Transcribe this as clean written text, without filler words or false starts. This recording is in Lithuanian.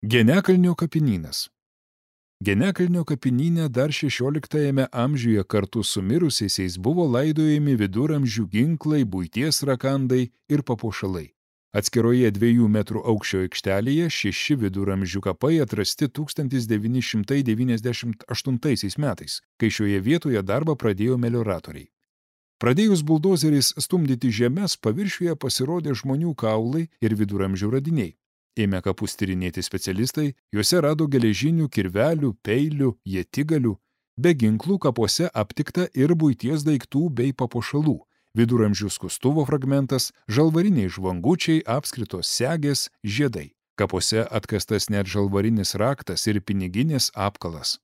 Genekalnio kapinynas. Genekalnio kapinyne dar 16 amžiuje kartu su mirusiaisiais buvo laidojami viduramžių ginklai, buities rakandai ir papuošalai. Atskiroje 2 metrų aukščio aikštelėje 6 viduramžių kapai atrasti 1998 metais, kai šioje vietoje darbą pradėjo melioratoriai. Pradėjus buldozeriais stumdyti žemes, paviršiuje pasirodė žmonių kaulai ir viduramžių radiniai. Ėmė kapus tyrinėti specialistai, juose rado geležinių kirvelių, peilių, ietigalių. Be ginklų kapuose aptikta ir buities daiktų bei papuošalų. Viduramžių skustuvo fragmentas, žalvariniai žvangučiai, apskritos segės, žiedai. Kapuose atkastas net žalvarinis raktas ir piniginės apkalas.